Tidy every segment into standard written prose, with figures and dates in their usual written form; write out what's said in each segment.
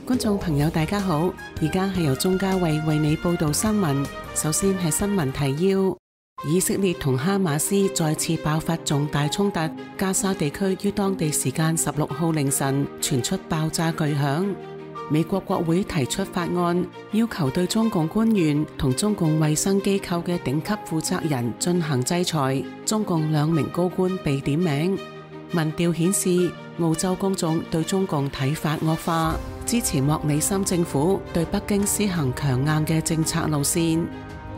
觀眾朋友大家好，而家係由鐘嘉慧為你報道新聞。首先係新聞提要：以色列同哈馬斯再次爆發重大衝突，加沙地區於當地時間16號凌晨傳出爆炸巨響。美國國會提出法案，要求對中共官員同中共衛生機構嘅頂級負責人進行制裁，中共2名高官被點名。民調顯示，澳洲公眾對中共睇法惡化，支持莫里森政府對北京施行強硬嘅政策路線。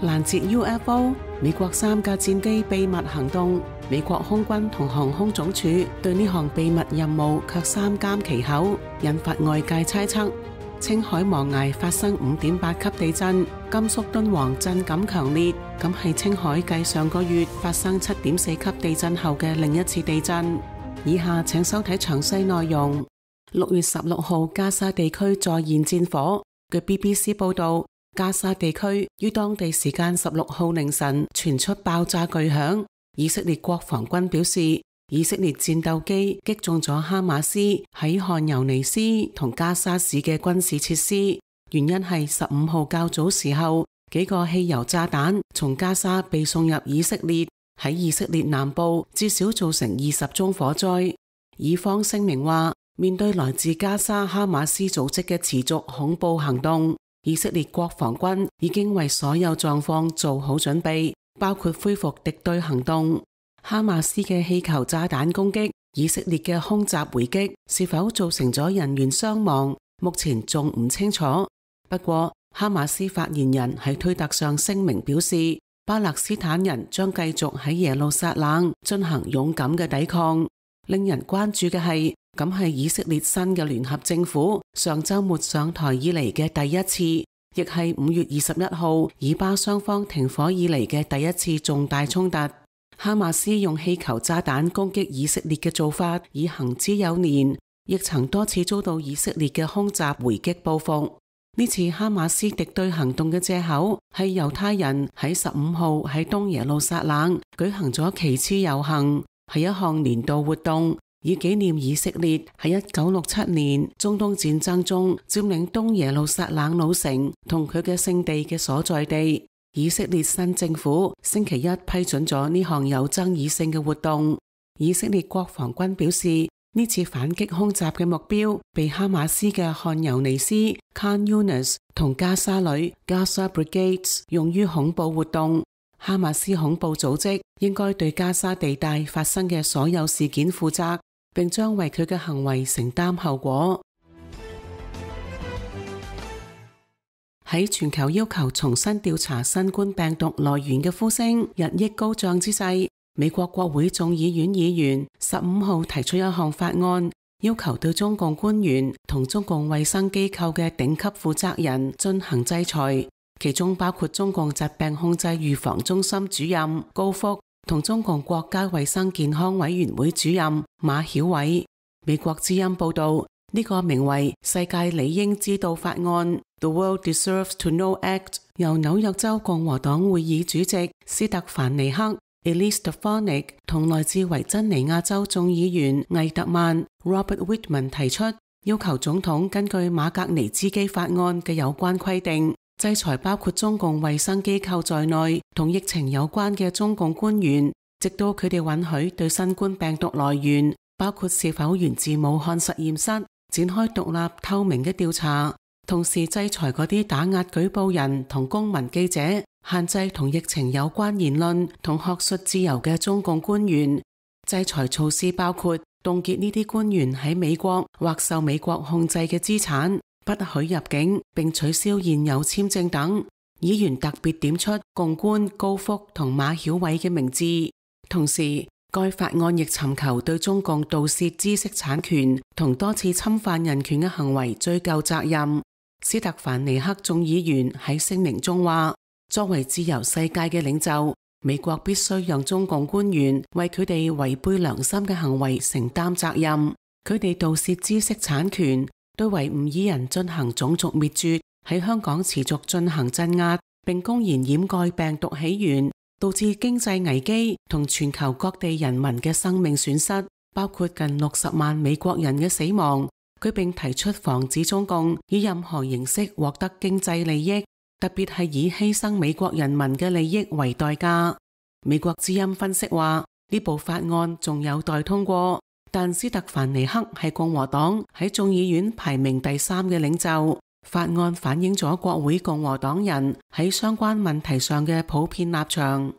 攔截 UFO， 美國3架戰機秘密行動，美國空軍同航空總署對呢項秘密任務卻三緘其口，引發外界猜測。青海黃崖發生5.8級地震，甘肅敦煌震感強烈，咁係青海繼上個月發生7.4級地震後嘅另一次地震。以下請收睇詳細內容。6月16號，加沙地區再現戰火。據 BBC 報道，加沙地區於當地時間16號凌晨傳出爆炸巨響。以色列國防軍表示，以色列戰鬥機擊中咗哈馬斯喺汗尤尼斯同加沙市嘅軍事設施，原因係15號較早時候幾個汽油炸彈從加沙被送入以色列，喺以色列南部至少造成20宗火災。以方聲明話，面對來自加沙哈馬斯組織嘅持續恐怖行動，以色列國防軍已經為所有狀況做好準備，包括恢復敵對行動。哈馬斯嘅氣球炸彈攻擊，以色列嘅空襲回擊是否造成咗人員傷亡，目前仲唔清楚。不過，哈馬斯發言人喺推特上聲明表示，巴勒斯坦人將繼續喺耶路撒冷進行勇敢嘅抵抗。令人關注嘅係，咁係以色列新嘅聯合政府上週末上台以嚟嘅第一次，亦係5月21號以巴雙方停火以嚟嘅第一次重大衝突。哈馬斯用氣球炸彈攻擊以色列嘅做法已行之有年，亦曾多次遭到以色列嘅空襲回擊報復。呢次哈馬斯敵對行動嘅藉口係猶太人喺15號喺東耶路撒冷舉行咗旗幟遊行，係一項年度活動，以紀念以色列喺1967年中東戰爭中佔領東耶路撒冷老城同佢嘅聖地嘅所在地。以色列新政府星期一批准咗呢項有爭議性嘅活動。以色列國防軍表示，呢次反擊空襲嘅目標被哈馬斯嘅汗尤尼斯 Khan Yunis 同加沙旅 Gaza Brigades 用於恐怖活動。哈馬斯恐怖組織應該對加沙地帶發生嘅所有事件負責，並將為佢嘅行為承擔後果。喺全球要求重新調查新冠病毒來源嘅呼聲日益高漲之際，美國國會眾議院議員15號提出一項法案，要求對中共官員同中共衛生機構嘅頂級負責人進行制裁，其中包括中共疾病控制預防中心主任高福同中共國家衛生健康委員會主任馬曉偉。美國之音報道，呢個名為世界理應知道法案 The World Deserves to Know Act 由紐約州共和黨會議主席斯特凡尼克 Elise Stefanik 同來自維珍尼亞州眾議員魏特曼 Robert Whitman 提出，要求總統根據馬格尼茲基法案嘅有關規定，制裁包括中共衛生機構在內同疫情有關嘅中共官員，直到佢哋允許對新冠病毒來源，包括是否源自武漢實驗室，展開獨立透明嘅調查，同時制裁嗰啲打壓舉報人同公民記者，限制同疫情有關言論同學術自由嘅中共官員。制裁措施包括凍結呢啲官員喺美國或受美國控制嘅資產，不許入境，並取消現有簽證等。議員特別點出共官高福同馬曉偉嘅名字，同時該法案亦尋求對中共盜竊知識產權同多次侵犯人權嘅行為追究責任。斯特凡尼克眾議員喺聲明中話，作為自由世界嘅領袖，美國必須讓中共官員為佢哋違背良心嘅行為承擔責任。佢哋盜竊知識產權，對維吾爾人進行種族滅絕，喺香港持續進行鎮壓，並公然掩蓋病毒起源，導致經濟危機同全球各地人民嘅生命損失，包括近60萬美國人嘅死亡，佢並提出防止中共以任何形式獲得經濟利益，特別係以犧牲美國人民嘅利益為代價。美國之音分析話，呢部法案仲有待通過，但斯特凡尼克係共和黨喺眾議院排名第3嘅領袖。法案反映咗國會共和黨人喺相關問題上嘅普遍立場。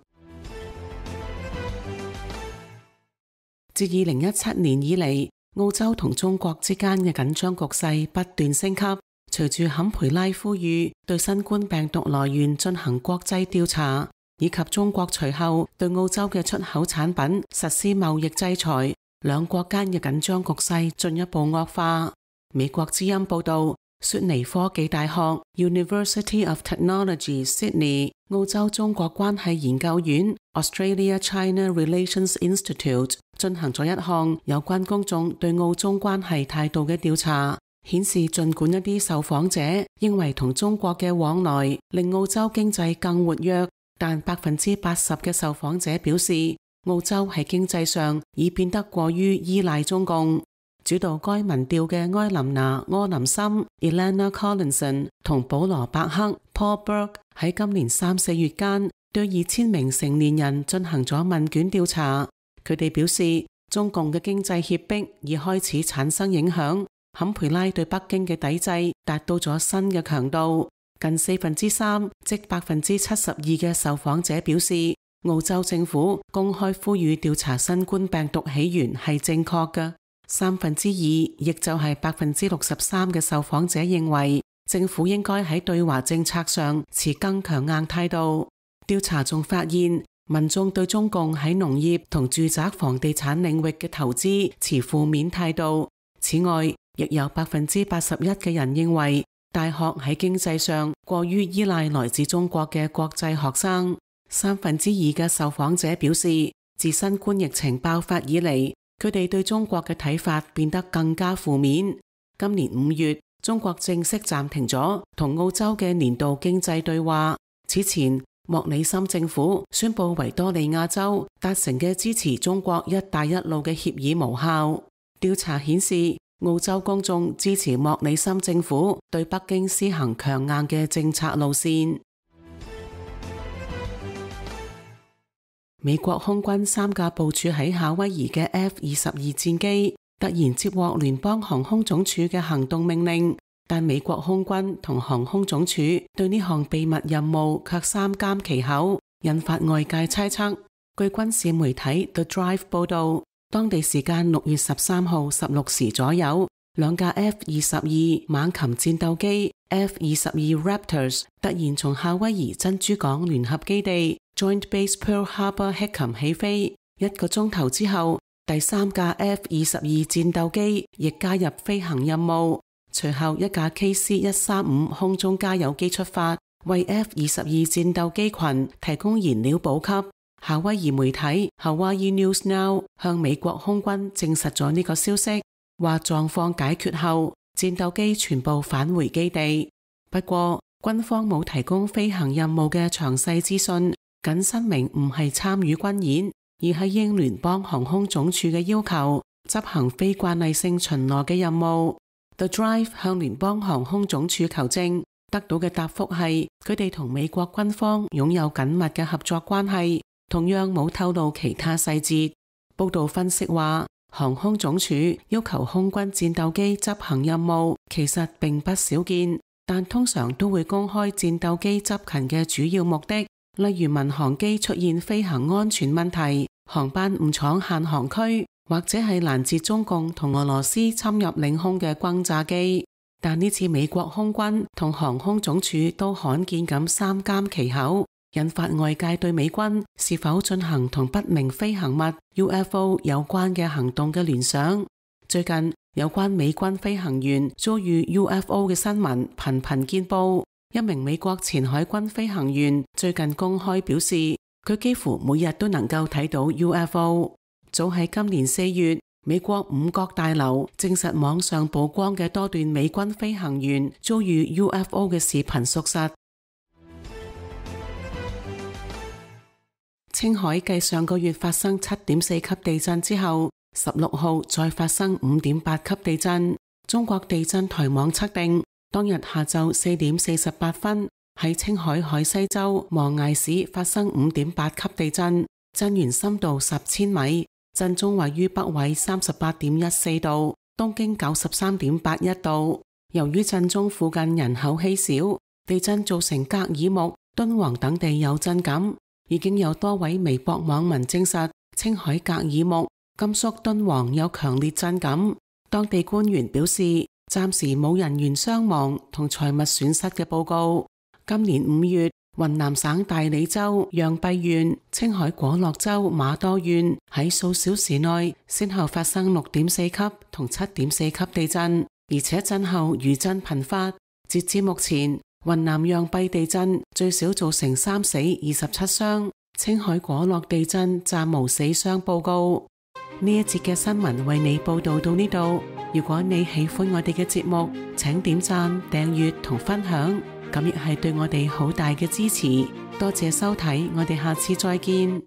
自2017年以嚟，澳洲同中國之間嘅緊張局勢不斷升級。隨住坎培拉呼籲對新冠病毒來源進行國際調查，以及中國隨後對澳洲嘅出口產品實施貿易制裁，兩國間嘅緊張局勢進一步惡化。美國之音報道，雪梨科技大學 University of Technology Sydney 澳洲中國關係研究院 Australia-China Relations Institute 進行咗一項有關公眾對澳中關係態度嘅調查，顯示儘管一啲受訪者認為同中國嘅往來令澳洲經濟更活躍，但80%嘅受訪者表示澳洲喺經濟上已變得過於依賴中共。主導該民調嘅埃琳娜·柯林森 Elena Collinson 同保羅·伯克 Paul Berg 喺今年3、4月間對2000名成年人進行咗問卷調查。佢哋表示中共嘅經濟脅迫已開始產生影響，坎培拉對北京嘅抵制達到咗新嘅強度。近3%，即72%嘅受訪者表示澳洲政府公開呼籲調查新冠病毒起源係正確嘅。2%，亦就係63%嘅受訪者認為政府應該喺對華政策上持更強硬態度。調查仲發現，民眾對中共喺農業同住宅房地產領域嘅投資持負面態度。此外，亦有81%嘅人認為大學喺經濟上過於依賴來自中國嘅國際學生。2%嘅受訪者表示，自新冠疫情爆發以嚟，佢哋對中國嘅睇法變得更加負面。今年5月，中國正式暫停咗同澳洲嘅年度經濟對話。此前，莫里森政府宣布維多利亞州達成嘅支持中國一帶一路嘅協議無效。調查顯示，澳洲公眾支持莫里森政府對北京施行強硬嘅政策路線。美國空軍3架部署喺夏威夷嘅 F-22戰機突然接獲聯邦航空總署嘅行動命令，但美國空軍同航空總署對呢項秘密任務卻三緘其口，引發外界猜測。據軍事媒體 The Drive 報道，當地時間6月13號16時左右，2架 F-22猛禽戰鬥機 F-22 Raptors 突然從夏威夷珍珠港聯合基地Joint Base Pearl Harbor Hickam 起飛，1個鐘頭之後，第3架 F-22戰鬥機亦加入飛行任務。隨後一架 KC-135空中加油機出發，為 F-22戰鬥機群提供燃料補給。夏威夷媒體 Hawaii News Now 向美國空軍證實咗呢個消息，話狀況解決後，戰鬥機全部返回基地。不過，軍方冇提供飛行任務嘅詳細資訊，僅申明唔係參與軍演，而係應聯邦航空總署嘅要求，執行非慣例性巡邏嘅任務。The Drive 向聯邦航空總署求證，得到嘅答覆係佢哋同美國軍方擁有緊密嘅合作關係，同樣冇透露其他細節。報道分析話，航空總署要求空軍戰鬥機執行任務，其實並不少見，但通常都會公開戰鬥機執勤嘅主要目的，例如民航機出現飛行安全問題、航班誤闖限航區，或者係攔截中共同俄羅斯侵入領空嘅轟炸機。但呢次美國空軍同航空總署都罕見咁三緘其口，引發外界對美軍是否進行同不明飛行物 UFO 有關嘅行動嘅聯想。最近有關美軍飛行員遭遇 UFO 嘅新聞頻頻見報。一名美國前海軍飛行員最近公開表示，佢幾乎每日都能夠睇到 UFO。早喺今年4月，美國五角大樓證實網上曝光嘅多段美軍飛行員遭遇 UFO 嘅視頻屬實。青海繼上個月發生7.4級地震之後，16號再發生5.8級地震。中國地震台網測定，當日下晝4點48分喺青海海西州磨崖市發生5.8級地震，震源深度10千米，震中位於北緯38.14度，東經93.81度。由於震中附近人口稀少，地震造成格爾木、敦煌等地有震感，已經有多位微博網民證實青海格爾木、甘肅敦煌有強烈震感。當地官員表示，暫時冇人員傷亡同財物損失嘅報告。今年5月，雲南省大理州陽畢縣、青海果洛州瑪多縣喺數小時內先後發生6.4級同7.4級地震，而且震後餘震頻發。截至目前，雲南陽畢地震最少造成3死27傷，青海果洛地震暫無死傷報告。呢一節嘅新聞為你報道到呢度。如果你喜歡我哋嘅節目，請點讚、訂閱同分享，咁亦係對我哋好大嘅支持。多謝收睇，我哋下次再見。